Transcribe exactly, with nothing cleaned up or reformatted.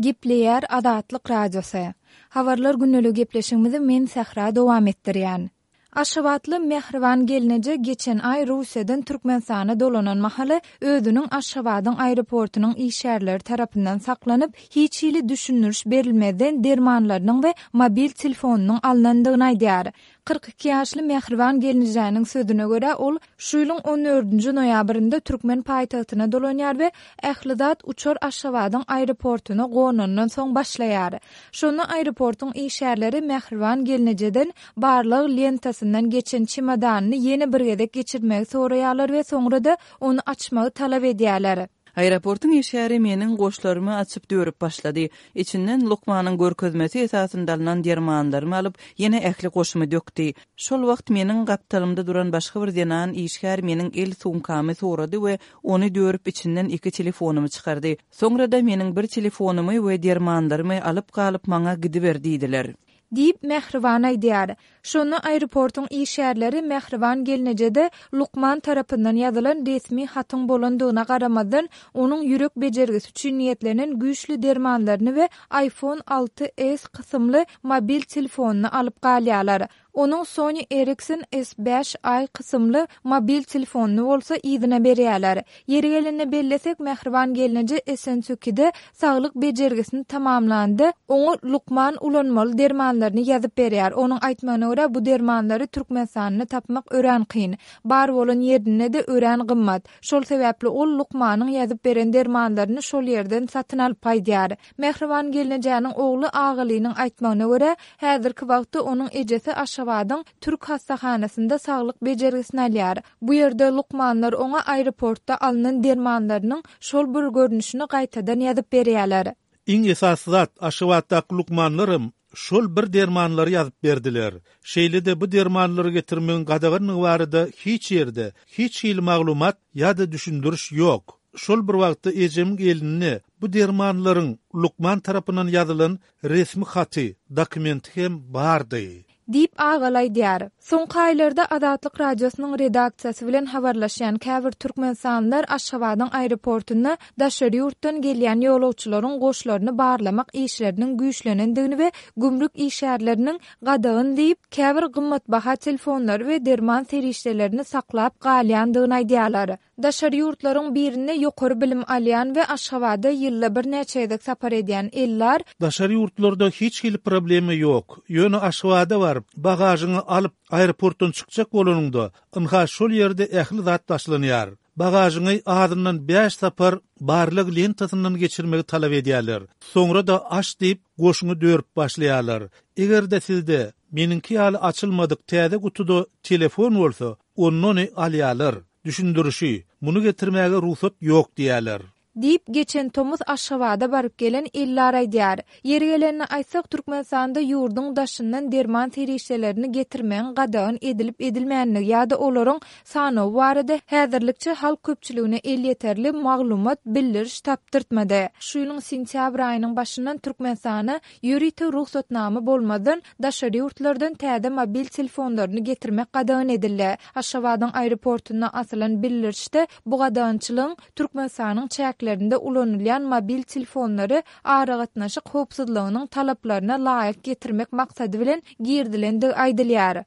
Gepleýär Azatlyk Radiosy. Habarlar gündeligi gepleşigimizi men Sähra dowam etdirýän. Aşgabatly Mähriban gelneje geçen aý Russiýadan Türkmenistana dolanan mahaly özüniň Aşgabadyň aeroportunyň işgärleri tarapyndan saklanyp, hiç hili düşündiriş berilmezden dermanlarynyň we mobil telefonynyň alnandygyny aýdýar. Kyrk iki ýaşly Mähriban gelnejäniň sözüne görä, ol şu ýylyň on dördünji noýabrynda türkmen paýtagtyna dolanýar we ähli zat uçar Aşgabadyň aeroportuna gonandan soň başlaýar. Şonda aeroportuň işgärleri Mähriban gelnejeden barlag lentasyndan geçen çemodanyny ýene bir gezek geçirmegi soraýarlar we soňra-da ony açmagy talap edýärler. Aeroportuň işgäri meniň goşlarymy açyp dörüp başlady. Içinden lukmanyň görkezmesi esasynda alnan dermanlarymy alyp, ýene ähli goşumy dökdi. Şol wagt meniň gapdalymda duran başga bir zenan işgär meniň el sumkamy sorady we ony dörüp içinden iki telefonymy çykardy. Soňra-da meniň bir telefonymy we dermanlarymy alyp galyp maňa gidiber diýdiler. Diýip, Mähriban aýdýar. Şonda aeroportuň işgärleri Mähriban gelnejede lukman tarapyndan ýazylan resmi hatyň bolandygyna garamazdan, onuň ýürek bejergisi üçin niýetlenen güýçli dermanlaryny we iPhone alty S kysymly mobil telefonyny alyp galýarlar. Onuň Sony Ericsson S bäş i kysymly mobil telefonyny bolsa yzyna berýärler. Ýeri gelende bellesek, Mähriban gelneje Essentukide saglyk bejergisini tamamlanda, oňa lukman ulanmaly dermanlaryny ýazyp berýär. Onuň aýtmagyna görä, bu dermanlary Türkmenistanda tapmak örän kyn. Bar bolan ýerinde-de örän gymmat. Şol sebäpli ol lukmanyň ýazyp beren dermanlaryny şol ýerden satyn alyp gaýdýar. Mähriban gelnejäniň ogly Agalynyň aýtmagyna görä, häzirki wagtda onuň ejesi Aşgabadyň Türk hassahanasynda saglyk bejergisini alýar. Bu ýerde lukmanlar oňa aeroportda alnan dermanlarynyň şol bir görnüşini gaýtadan ýazyp berýärler. Iň esasy zat, Aşgabatdaky lukmanlaram şol bir dermanlary ýazyp berdiler. Şeýle-de bu dermanlary getirmegiň gadaganlygy barada hiç ýerde hiç hili maglumat ýa-da düşündiriş ýok. Şol bir wagtda ejemiň elinde bu dermanlaryň lukman tarapyndan ýazylan resmi haty, dokumenti hem bardy. Diýip, Agaly aýdýar. Soňky aýlarda Azatlyk Radiosynyň redaksiýasy bilen habarlaşýan käbir türkmenistanlylar Aşgabadyň aeroportunda daşary ýurtdan gelýän ýolagçylaryň goşlaryny barlamak işleriniň güýçlenendigini we gümrük işgärleriniň gadagan diýip, käbir gymmatbaha telefonlary we derman serişdelerini saklap galýandygyny aýdýarlar. Daşary ýurtlaryň birinde ýokary bilim alýan we Aşgabada ýylda birnäçe gezek sapar edýän Ellar, Daşary ýurtlarda hiç hili problema ýok. Ýöne Aşgabada baryp, bagažyňy alyp, aeroportdan çykjak bolanyňda, ynha şol ýerde ähli zat başlanýar. Bagažyňy azyndan bäş sapar barlag lentasyndan geçirmegi talap edýärler. Soňra-da aç diýip, goşuňy dörüp başlaýarlar. Eger-de sizde meniňki ýaly açylmadyk täze gutuda telefon bolsa, onda ony alýarlar. Düşündirişi, muny getirmäge rugsat ýok diýýärler. Diýip, geçen tomus Aşgabada baryp gelen Ellar aýdýar. Ýeri gelende aýtsak, Türkmenistanda ýurduň daşyndan derman serişdelerini getirmegiň gadagan edilip-edilmänligi ýa-da olaryň sanawy barada häzirlikçe halk köpçüligine elýeterli maglumat, bildiriş tapdyrtmady. Şu ýylyň sentýabr aýynyň başyndan Türkmenistana ýörite rugsatnama bolmazdan daşary ýurtlardan täze mobil telefonlaryny getirmek gadagan edildi. Aşgabadyň aeroportunda asylan bildirişde bu gadagançylygyň Türkmenistanyň çäklerinde ulanylýan mobil telefonlary aragatnaşyk howpsuzlygynyň talaplaryna laýyk getirmek maksady bilen girizilendigi aýdylýar.